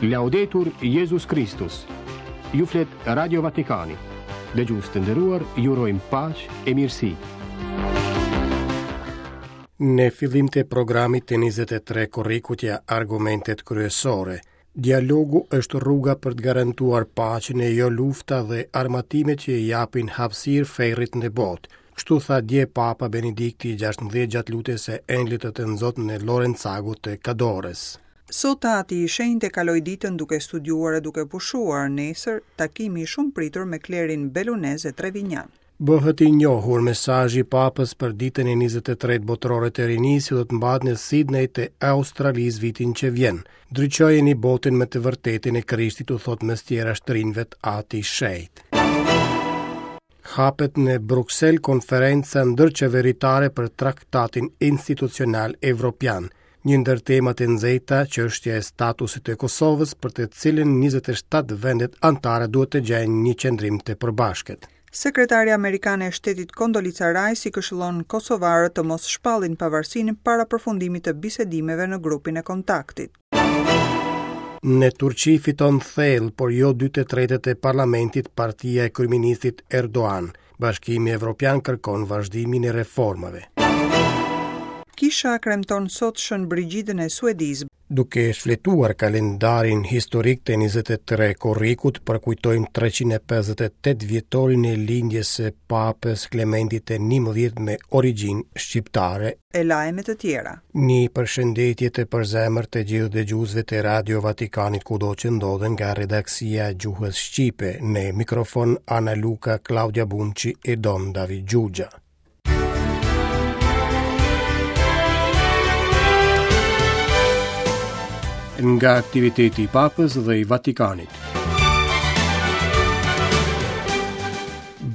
Laudetur Jezus Kristus. Ju flet Radio Vatikani. Dëgjues të nderuar, ju urojmë paqe e mirësi. Në fillim të programit të 23 korrikut ja argumentet kryesore. Dialogu është rruga për të garantuar paqen e jo lufta dhe armatimet që i japin hapësirë ferrit në botë. Kështu tha dje Papa Benedikti i 16 gjatë lutjes së Engjëllit të Tënzot në Lorenzago të Kadores. Sot Ati i Shenjtë e kaloi ditën duke studiuar e duke pushuar, nesër takimi i shumëpritur me klerin belunez e trevinjan. Bëhet i njohur mesazhi i Papës për ditën e 23 botërore të rinisë që do të mbahet në Sidney të Australisë vitin që vjen. Ndriçojeni botën me të vërtetën e Krishtit, u thotë mes tjerash të rinjve Ati i Shenjtë. Hapet në Bruksel konferenca ndërqeveritare për Traktatin Institucional Evropian. Një ndër temat e nxehta, çështja e statusit të Kosovës, për të cilën 27 vendet anëtare duhet të gjejnë një qëndrim të përbashkët. Sekretarja amerikane e Shtetit Kondolica Rajs i këshillon kosovarët të mos shpallin pavarësinë para përfundimit të bisedimeve në grupin e kontaktit. Në Turqi fiton thellë, por jo dy të tretët e parlamentit partia e kryeministrit Erdogan. Bashkimi Evropian kërkon vazhdimin e reformave. Kisha kremton sot Shën Brigjidën e Suedisë. Duke shfletuar kalendarin historik të 23 korrikut, përkujtojmë 358 vjetorin e lindjes së Papës Klementit të 11 me origjinë shqiptare. E lajme të tjera. Një përshëndetje të përzemërt të gjithë dëgjuesve të Radio Vatikanit kudo që ndodhen nga redaksia e gjuhës shqipe, në mikrofon Ana Luka, Klaudia Bumçi e Don David Xhuxha. Nga aktiviteti i Papës dhe i Vatikanit.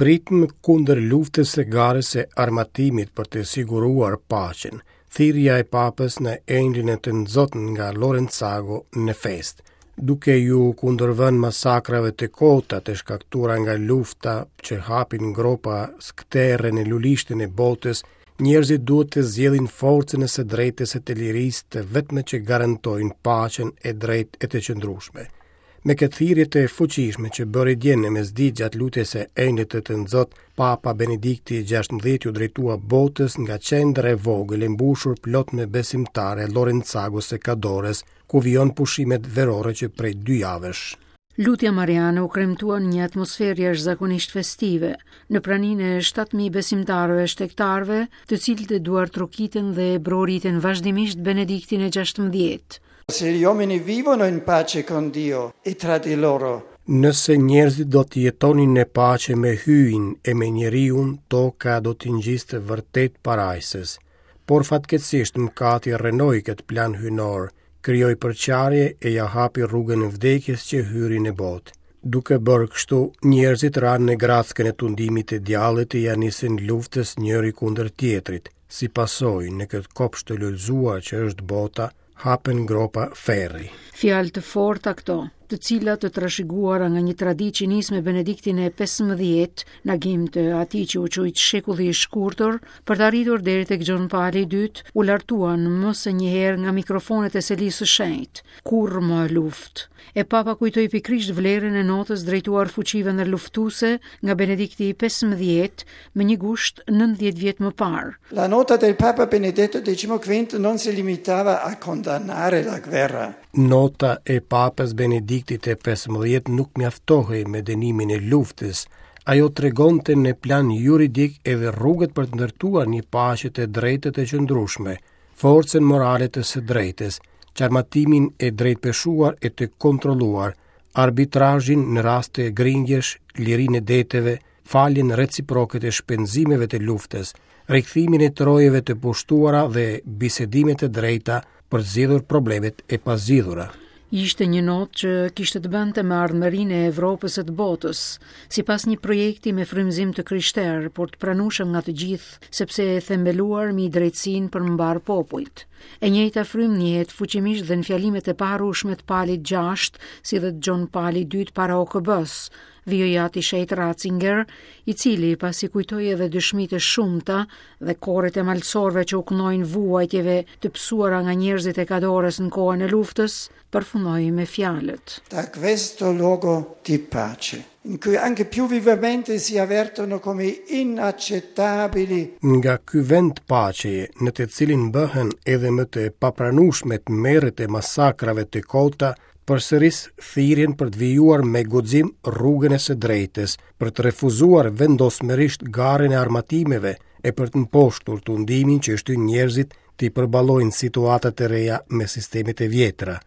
Britmë kundër luftës së garës së armatimit për të siguruar paqen, thirrja e Papës në Engjëllin e Tënzot nga Lorenzago në festë, duke iu kundërvënë masakrave të kota të shkaktuara nga lufta që hapin gropa skëterre në lulishten e botës, njerëzit duhet të zgjedhin forcën e së drejtës e të lirisë të vetme që garantojnë paqen e drejtë e të qëndrueshme. Me këtë thirrje të fuqishme që bëri dje në mesditë gjatë lutjes së Engjëllit të Tënzot, Papa Benedikti i 16 iu drejtua botës nga qendra e vogël e mbushur plot me besimtarë e Lorenzagos së Kadores, ku vijon pushimet verore që prej dy javësh. Lutja Mariane u kremtua në një atmosferë jashtëzakonisht festive, në praninë e 7000 besimtarëve shtegtarëve, të cilët e duartrokitën dhe e brohoritën vazhdimisht Benediktin e 16. Se gli uomini vivono in pace con Dio e tra di loro. Nëse njerëzit do të jetonin në paqe me Hyjin e me njeriun, toka do t'i ngjiste vërtet parajsës. Por fatkeqësisht mëkati rrënoi këtë plan hyjnor, krijoi përçarje e ia hapi rrugën vdekjes që hyri në botë. Duke bërë kështu, njerëzit ranë në grackën e tundimit të djallit e ia nisën luftës njëri kundër tjetrit. Si pasojë, në këtë kopsht të lulëzuar që është bota, hapen gropa ferri. Fjalë të forta këto, të cilat të trashëguara nga një traditë që nis me Benediktin e 15, në agim të atij që u quajt shekulli i shkurtër, për të arritur deri tek Gjon Pali i dytë, u lartuan më se një herë nga mikrofonet e Selisë së Shenjtë. Kurrë më luftë. E Papa kujtoi pikërisht vlerën e notës drejtuar fuqive ndërluftuese nga Benedikti i 15 më një gusht 90 vjet më parë. La nota del Papa Benedetto XV non si limitava a condannare la guerra. Nota e Papës Benediktit të 15 nuk mjaftohej me dënimin e luftës. Ajo tregonte në plan juridik edhe rrugët për të ndërtuar një paqe të drejtë e të qëndrueshme. forcën morale të së drejtës, çarmatimin e drejtpeshuar e të kontrolluar, arbitrazhin në raste grindjesh, lirinë e deteve, faljen reciproke të shpenzimeve të luftës, rikthimin e trojeve të pushtuara dhe bisedimet e drejta për të zgjidhur problemet e pazgjidhura. Ishte një notë që kishte të bënte me ardhmërinë e Evropës e të botës, sipas një projekti me frymëzim të krishterë, por të pranueshëm nga të gjithë, sepse e themeluar mbi drejtësinë për mbarë popujt. E njëjta frymë ndjehet fuqimisht dhe në fjalimet e paharrueshme të Palit VI, si dhe të Gjon Palit II para OKB-së, vijoi Ati i Shenjtë Ratzinger, i cili pasi kujtoi edhe dëshmitë e shumta dhe koret e malësorëve që u këndojnë vuajtjeve të pësuara nga njerëzit e Kadorës në kohën e luftës, përfundoi me fjalët. Da questo luogo di pace, in cui anche più vivamente si avvertono come inaccettabili. Nga ky vend paqeje, në të cilin bëhen edhe më të papranueshme tmerret e masakrave të kota, përsëris thirrjen për të vijuar me guxim rrugën e së drejtës, për të refuzuar vendosmërisht garën e armatimeve e për të mposhtur tundimin që shtyn njerëzit t'i përballojnë situatat e reja me sistemet e vjetra.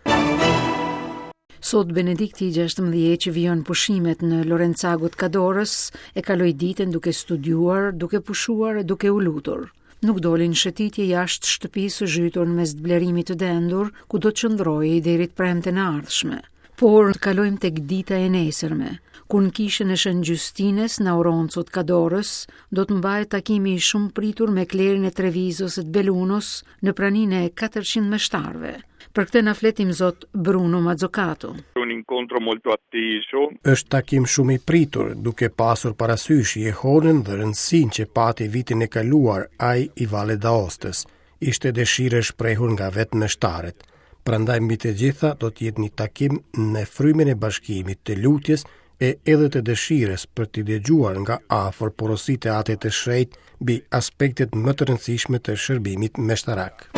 Sot Benedikti i 16 që vijon pushimet në Lorenzago të Kadorës e kaloi ditën duke studiuar, duke pushuar e duke u lutur. Nuk doli në shëtitje jashtë shtëpisë së zhytur në mes të blerimit të dendur, ku do të qëndrojë deri të premten e ardhshme. Por të kalojmë tek dita e nesërme, kur në kishën e Shën Gjystinës në Auronzo të Kadorës do të mbahet takimi i shumëpritur me klerin e Trevizos e të Belunos në praninë e 400 meshtarëve. Për këtë na flet imzot Bruno Mazzocato. Un incontro molto atteso. Është takim shumë i pritur, duke pasur parasysh jehonën dhe rëndësinë që pati vitin e kaluar ai i Valle d'Aostës. Ishte dëshirë e shprehur nga vetë meshtarët. Prandaj mbi të gjitha do të jetë një takim në frymën e bashkimit, të lutjes e edhe të dëshirës për të dëgjuar nga afër porositë e Atit të Shenjtë mbi aspektet më të rëndësishme të shërbimit meshtarak.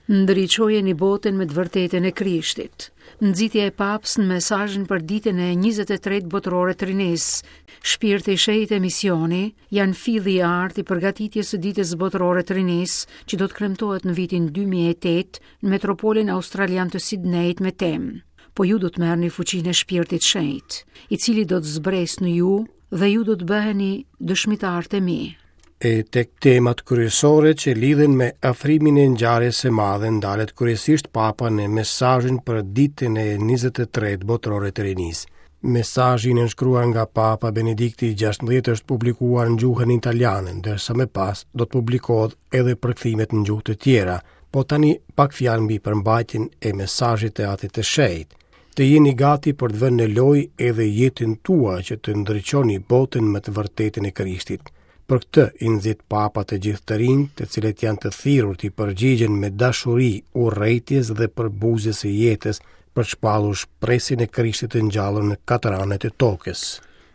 Ndriçojeni botën me të vërtetën e Krishtit. Nxitja e Papës në mesazhin për ditën e 23 botërore të rinisë, Shpirti i Shenjtë e misioni, janë filli i artë i përgatitjes së ditës botërore të rinisë, që do të kremtohet në vitin 2008 në metropolin australian të Sidnejit me temë. Po ju do të merrni fuqinë e Shpirtit Shenjt, i cili do të zbresë në ju dhe ju do të bëheni dëshmitarët e mi. E tek temat kryesore që lidhen me afrimin e ngjarjes së madhe ndalet kryesisht Papa në mesazhin për ditën e 23 botërore të rinisë. Mesazhi i nënshkruar nga Papa Benedikti i 16 është publikuar në gjuhën italiane, ndërsa më pas do të publikohet edhe përkthimet në gjuhë të tjera. Po tani pak fjalë mbi përmbajtjen e mesazhit të Atit të Shenjtë. Të jeni gati për të vënë në lojë edhe jetën tuaj që të ndriçoni botën me të vërtetën e Krishtit. Për këtë i nxit Papa të gjithë të rinjtë, të cilët janë të thirrur t'i përgjigjen me dashuri urrejtjes dhe përbuzjes së jetës për të shpallur shpresën e Krishtit të ngjallur në katër anët e tokës.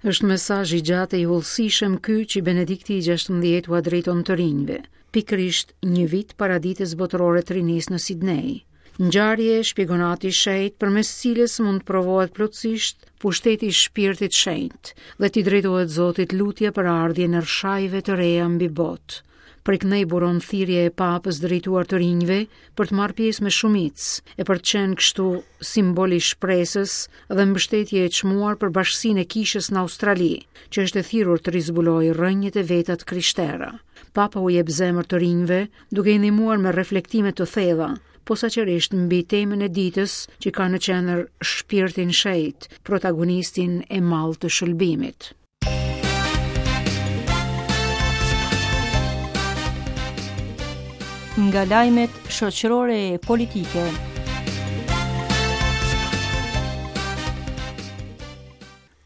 Është mesazh i gjatë e i hollësishëm ky që Benedikti i 16 ua drejton të rinjve, pikërisht një vit para ditës botërore të rinisë në Sidnej. Ngjarje, shpjegon Ati i Shenjtë, përmes cilës mund të provohet plotësisht pushteti i Shpirtit Shenjt dhe t'i drejtohet Zotit lutja për ardhjen e rrëshajve të reja mbi botë. Prej këndej buron thirrja e Papës drejtuar të rinjve për të marrë pjesë me shumicë e për të qenë kështu simbol i shpresës dhe mbështetje e çmuar për bashkësinë e kishës në Australi, që është e thirrur të rizbulojë rrënjët e veta të krishtera. Papa u jep zemër të rinjve duke i ndihmuar me reflektime të thella, posaçërisht mbi temën e ditës që ka në qendër shpirtin shenjt, protagonistin e madh të shëlbimit. Nga lajmet shoqërore e politike.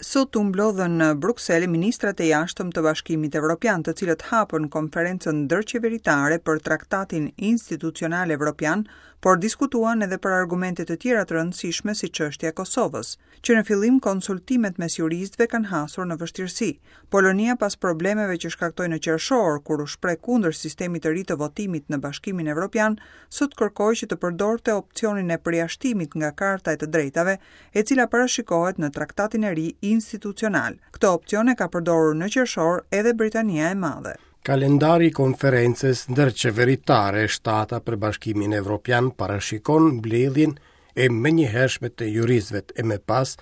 Sot u mblodhën në Bruksel ministrat e jashtëm të Bashkimit Evropian, të cilët hapën konferencën ndërqeveritare për Traktatin Institucional Evropian, por diskutuan edhe për argumente të tjera të rëndësishme si çështja e Kosovës. Që në fillim konsultimet mes juristëve kanë hasur në vështirësi. Polonia pas problemeve që shkaktoi në qershor, kur u shpreh kundër sistemit të ri të votimit në Bashkimin Evropian, sot kërkoi që të përdorte opsionin e përjashtimit nga Karta e të Drejtave, e cila parashikohet në traktatin e ri institucional. Këtë opsion e ka përdorur në qershor edhe Britania e Madhe. Kalendari i konferencës ndërqeveritare e shtata për Bashkimin Evropian parashikon mbledhjen e menjëhershme të juristëve e më pas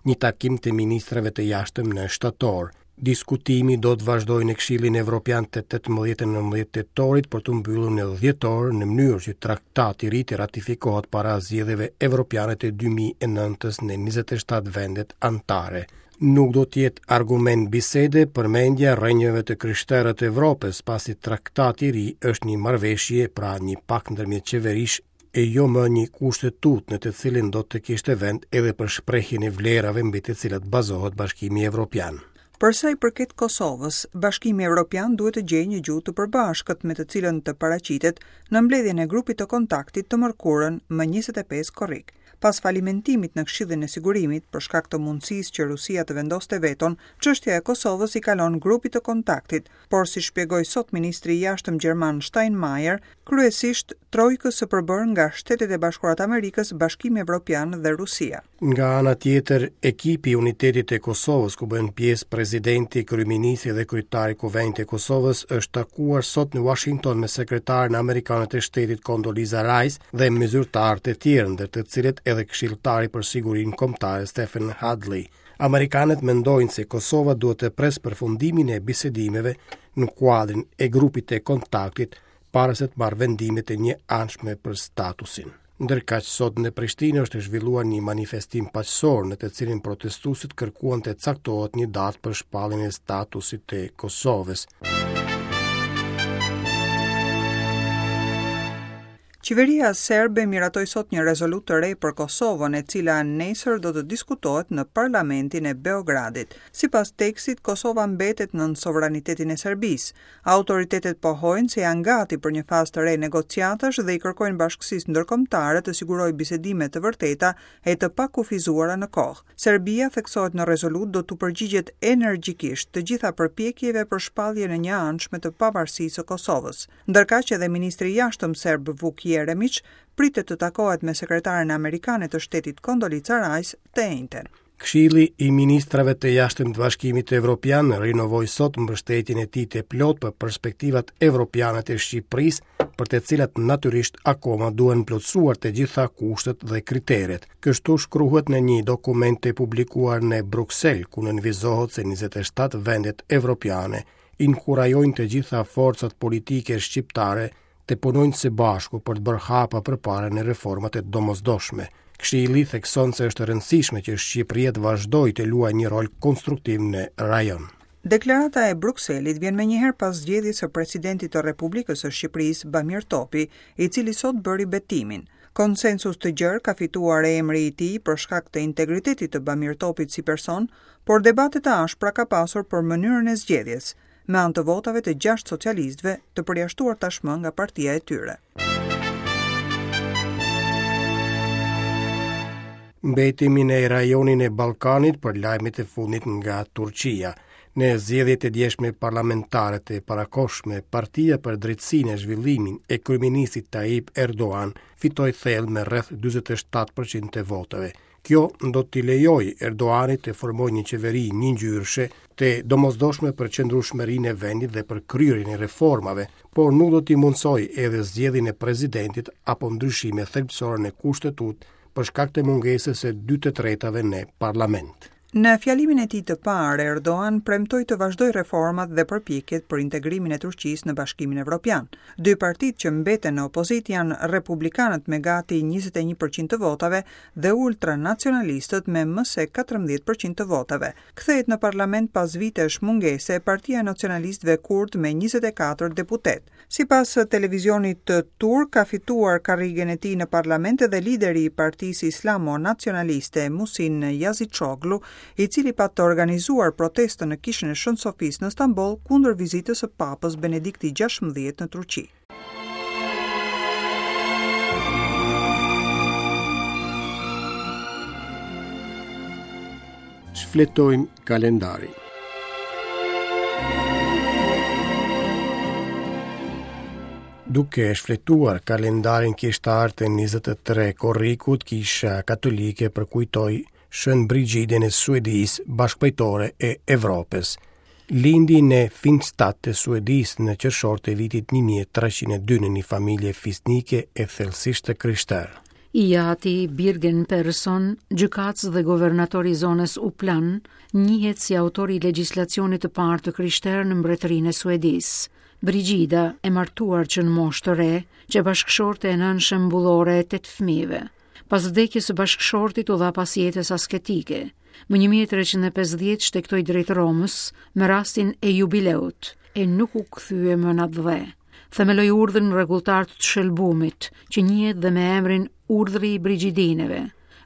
një takim të ministrave të jashtëm në shtator. Diskutimi do të vazhdojë në Këshillin Evropian të 18 e 19 tetorit për t'u mbyllur në dhjetor në mënyrë që traktati i ri të ratifikohet para zgjedhjeve evropiane të 2009-s në 27 vendet anëtare. Nuk do të jetë argument bisede përmendja e rrënjëve të krishtera të Evropës, pasi traktati i ri është një marrëveshje, pra një pakt ndërmjet qeverish e jo më një kushtetutë në të cilin do të kishte vend edhe për shprehjen e vlerave mbi të cilat bazohet Bashkimi Evropian. Për sa i përket Kosovës, Bashkimi Evropian duhet të gjejë një gjuhë të përbashkët me të cilën të paraqitet në mbledhjen e grupit të kontaktit të mërkurën më 25 korrik. Pas falimentimit në Këshillin e Sigurimit, për shkak të mundësisë që Rusia të vendoste veton, çështja e Kosovës i kalon grupit të kontaktit, por si shpjegoi sot ministri i Jashtëm gjerman Steinmeier, kryesisht trojkës së përbërë nga Shtetet e Bashkuara të Amerikës, Bashkimi Evropian dhe Rusia. Nga ana tjetër, ekipi i Unitetit të Kosovës, ku bëjnë pjesë presidenti, kryeministri dhe kryetari i Kuvendit të Kosovës, është takuar sot në Washington me sekretaren amerikane të shtetit Condoleezza Rice dhe me zyrtarë të tjerë, ndër të cilët edhe këshilltari për sigurinë kombëtare Stephen Hadley. Amerikanët mendojnë se Kosova duhet të presë përfundimin e bisedimeve në kuadrin e grupit të kontaktit para se të marrë vendime të njëanshme për statusin. Ndërkaq sot në Prishtinë është zhvilluar një manifestim paqësor në të cilin protestuesit kërkuan të caktohet një datë për shpalljen e statusit të Kosovës. Qeveria serbe miratoi sot një rezolutë të re për Kosovën, e cila nesër do të diskutohet në Parlamentin e Beogradit. Sipas tekstit, Kosova mbetet nën sovranitetin e Serbisë. Autoritetet pohojnë se janë gati për një fazë të re negociatash dhe i kërkojnë bashkësisë ndërkombëtare të sigurojë bisedime të vërteta e të pakufizuara në kohë. Serbia, theksohet në rezolutë, do t'u përgjigjet energjikisht të gjitha përpjekjeve për shpalljen e njëanshme të pavarësisë së Kosovës. Ndërkaq edhe ministri i Jashtëm serb Vuk Jeremiç pritet të takohet me sekretaren amerikane të shtetit Condoleezza Rice të enjten. Këshilli i Ministrave të Jashtëm të Bashkimit Evropian rinovoi sot mbështetjen e tij të plotë për perspektivat evropiane të Shqipërisë, për të cilat natyrisht akoma duhen plotësuar të gjitha kushtet dhe kriteret. Kështu shkruhet në një dokument të publikuar në Bruksel, ku nënvizohet se 27 vendet evropiane inkurajojnë të gjitha forcat politike shqiptare të punojnë së bashku për të bërë hapa përpara në reformat e domosdoshme. Këshilli thekson se është e rëndësishme që Shqipëria të vazhdojë të luajë një rol konstruktiv në rajon. Deklarata e Brukselit vjen menjëherë pas zgjedhjes së presidentit të Republikës së Shqipërisë, Bamir Topi, i cili sot bëri betimin. Konsensus të gjerë ka fituar emri i tij për shkak të integritetit të Bamir Topit si person, por debate të ashpra ka pasur për mënyrën e zgjedhjes. me anë të votave të gjashtë socialistëve të përjashtuar tashmë nga partia e tyre. Mbetemi në rajonin e Ballkanit për lajmet e fundit nga Turqia. Në zgjedhjet e djeshme parlamentare të parakohshme, Partia për Drejtësinë e Zhvillimin e kryeministrit Tayyip Erdogan fitoi thellë me rreth 47% të votave. Kjo do t'i lejojë Erdoganit të formojë një qeveri njëngjyrëshe të domosdoshme për qëndrueshmërinë e vendit dhe për kryerjen e reformave, por nuk do t'i mundësojë edhe zgjedhjen e presidentit apo ndryshime thelbësore në kushtetutë për shkak të mungesës së 2/3-tave në parlament. Në fjalimin e tij të parë, Erdogan premtoi të vazhdojë reformat dhe përpjekjet për integrimin e Turqisë në Bashkimin Evropian. Dy partitë që mbeten në opozitë janë Republikanët me gati 21 për qind të votave dhe ultranacionalistët me më se 14 për qind të votave. Kthehet në parlament pas vitesh mungese Partia e Nacionalistëve Kurdë me 24 deputetë. Sipas televizionit turk, ka fituar karrigen e tij në parlament edhe lideri i partisë islamo-nacionaliste Muhsin Yazıcıoğlu, i cili pat organizuar protestën në Kishën e Shën Sofisë në Stamboll kundër vizitës së Papës Benedikti XVI në Turqi. Shfletojmë kalendarin. Duke shfletuar kalendarin kishtar të 23 korrikut, Kisha Katolike përkujtoi Shën Brigidën e Suedisë, bashkëpajtore e Evropës. Lindi në Finstad të Suedisë në qershor të vitit 1302 në një familje fisnike e thellësisht të krishterë. I ati, Birger Persson, gjykatës dhe guvernator i zonës Upland, njihet si autori i legjislacionit të parë të krishterë në Mbretërinë e Suedisë. Brigida, e martuar që në moshë të re, qe bashkëshorte e nënë shembullore e tetë fëmijëve. Pas vdekjes së bashkëshortit u dha pas jetës asketike. Më 1350 shtegtoi drejt Romës me rastin e jubileut e nuk u kthye më në atdhe. Themeloi urdhrin rregulltar të të shëlbumit, që njihet dhe me emrin Urdhri i Brigidineve.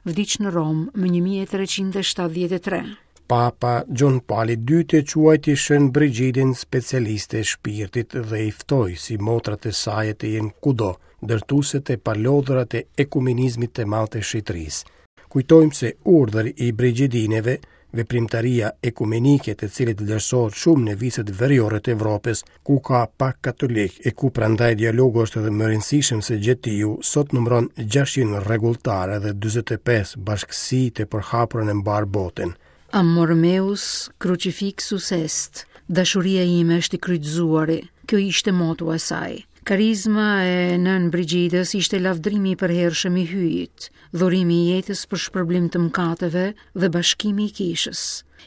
Vdiq në Romë më 1373. Papa Gjon Pali II e quajti Shën Brigidën specialiste e shpirtit dhe i ftoi si motrat e saj të jenë kudo, ndërtueset e palodhura të ekumenizmit të madh të shenjtërisë. Kujtojmë se Urdhri i Brigidineve, veprimtaria ekumenike të cilit vlerësohet shumë në viset veriore të Evropës, ku ka pak katolikë e ku prandaj dialogu është edhe më i rëndësishëm se gjetiu, sot numëron 600 rregulltarë dhe 45 bashkësi të përhapura në mbarë botën. Amor meus crucifixus est, dashuria ime është i kryqëzuari, kjo ishte motoja e saj. Karizma e Nënë Brigidës ishte lavdërimi i përhershëm i Hyjit, dhurimi i jetës për shpërblim të mëkateve dhe bashkimi i kishës.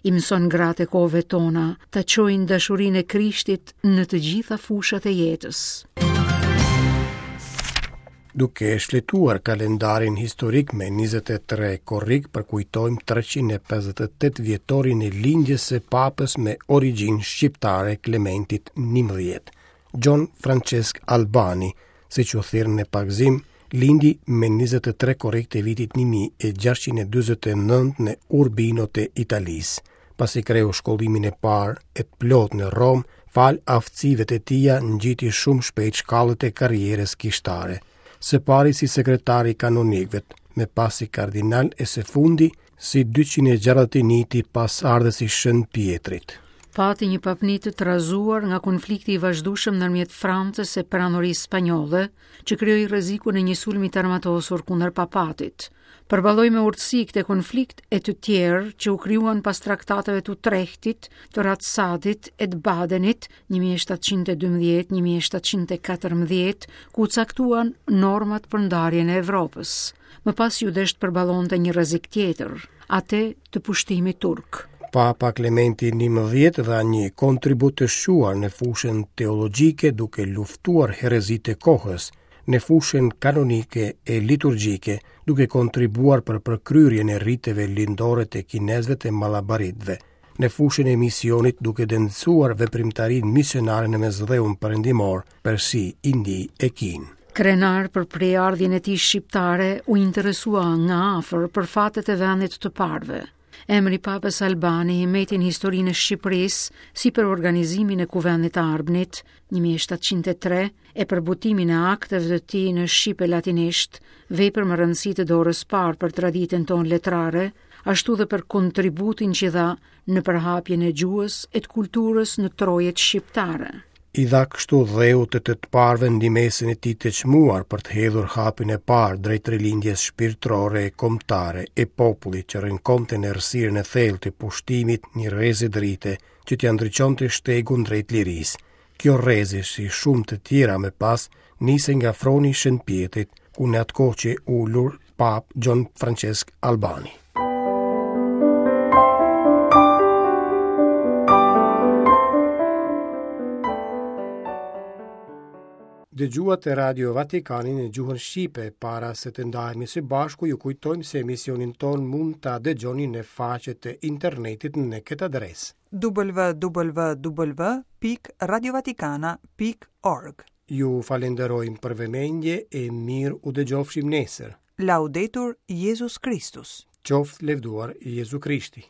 I mëson gratë e kohëve tona ta çojnë dashurinë e Krishtit në të gjitha fushat e jetës. Duke shfletuar kalendarin historik me 23 korrik përkujtojmë 358 vjetorin e lindjes së papës me origjinë shqiptare Klementit 11. Gjon Françesk Albani, siç u thirr në pagëzim, lindi me 23 korrik të vitit 1649 në Urbino të Italisë. Pasi kreu shkollimin e parë e të plotë në Romë, falë aftësive të tija ngjiti shumë shpejt shkallët e karrierës kishtare. Së pari si sekretar i kanonikëve, më pas si kardinal e së fundi si 261-ti pasardhës i Shën Pjetrit. Pati një papni të trazuar nga konflikti i vazhdueshëm ndërmjet Francës e Perandorisë Spanjolle, që krijoi rrezikun e një sulmi të armatosur kundër papatit. Përballoi me urtësi këtë konflikt e të tjerë që u krijuan pas traktateve të Utrehtit, të Ratsadit e të Badenit 1712-1714, ku u caktuan normat për ndarjen e Evropës. Më pas iu desh të përballonte një rrezik tjetër, atë të pushtimit turk. Papa Klementi XI dha një kontribut të shquar në fushën teologjike duke luftuar herezitë e kohës, në fushën kanonike e liturgjike, duke kontribuar për përkryerjen e riteve lindore të kinezëve të malabaritëve, në fushën e misionit duke dendësuar veprimtarinë misionare në Mesdheun Perëndimor, Persi, Indi e Kinë. Krenar për prejardhjen e tij shqiptare, u interesua nga afër për fatet e vendit të të parëve. Emri i Papës Albani mbeti në historinë e Shqipërisë si për organizimin e Kuvendit të Arbnit, 1703, e për botimin e akteve të tij në shqip e latinisht, vepër me rëndësi të dorës parë për traditën tonë letrare, ashtu dhe për kontributin që dha në përhapjen e gjuhës e të kulturës në trojet shqiptare. I dha kështu dheut të të të parëve ndihmesën e tij të çmuar për të hedhur hapin e parë drejt rilindjes shpirtërore e kombëtare e popullit që rënkonte në errësirën e thellë të pushtimit një rreze drite që t'ia ndriçonte shtegun drejt lirisë. Kjo rreze, si shumë të tjera më pas, nisi nga froni i Shën Pjetrit, ku në atë kohë qe ulur Papë Gjon Françesk Albani. Dëgjuat Radio Vatikanin në gjuhën shqipe, para se të ndahemi së bashku, ju kujtojmë se emisionin tonë mund ta dëgjoni në faqet e internetit në këtë adresë. www.radiovatikana.org Ju falenderojmë për vëmendje e mirë u dëgjofshim nesër. Laudetur Jezus Kristus. Qoftë lëvduar Jezu Krishti.